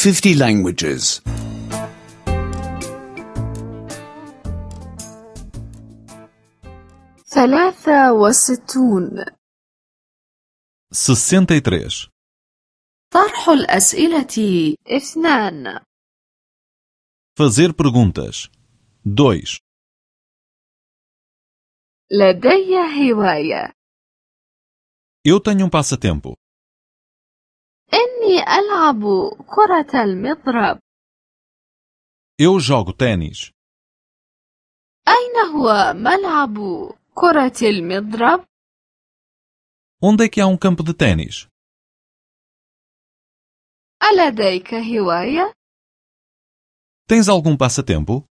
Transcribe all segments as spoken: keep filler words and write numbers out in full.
fifty languages. ثلاثة وستون. sessenta e três. طرح الأسئلة اثنان. Fazer perguntas. dois. لدي هواية. Eu tenho um passatempo. إني ألعب كرة المضرب. Eu jogo ténis. أين هو ملعب كرة المضرب؟ Onde é que há um campo de ténis? ألديك هواية؟ Tens algum passatempo?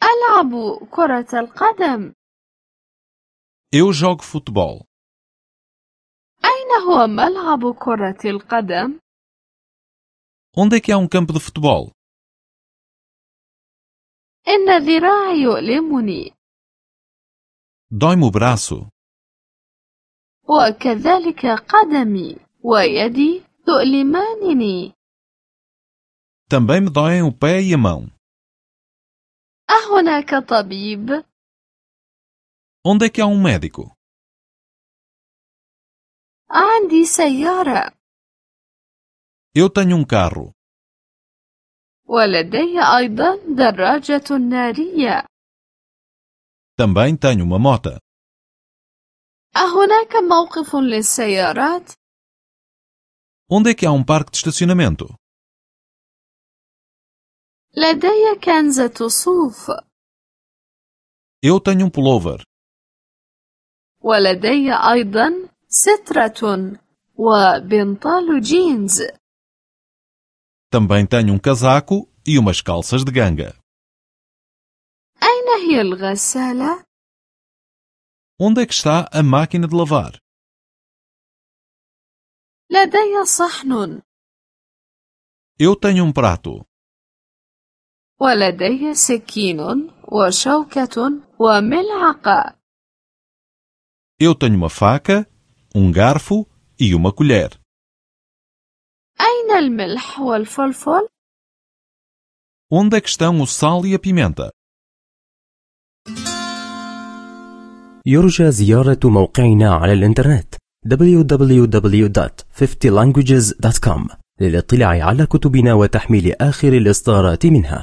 ألعب كرة القدم. Eu jogo futebol. أين هو ملعب كرة القدم؟ Onde é que há um campo de futebol? إن ذراعي يؤلمني. Dói-me o braço. وكذلك قدمي ويدي تؤلمانني. Também me doem o pé e a mão. أهناك طبيب؟ Onde é que há um médico? عندي سيارة. Eu tenho um carro. ولدي أيضا دراجة نارية. Também tenho uma moto. أهناك موقف للسيارات؟ Onde é que há um parque de estacionamento? لدي كنزة صوف. Eu tenho um pullover. ولدي أيضا سترة وبنطال جينز. Também tenho um casaco e umas calças de ganga. أين هي الغسالة؟ Onde é que está a máquina de lavar? لدي صحن. Eu tenho um prato. ولدي سكين وشوكة وملعقة. Eu tenho uma faca, um garfo e uma colher. أين الملح والفلفل؟ Onde é que estão o sal e a pimenta? يرجى زيارة موقعنا على الإنترنت دبليو دبليو دبليو دوت fifty languages دوت كوم للاطلاع على كتبنا وتحميل آخر الإصدارات منها.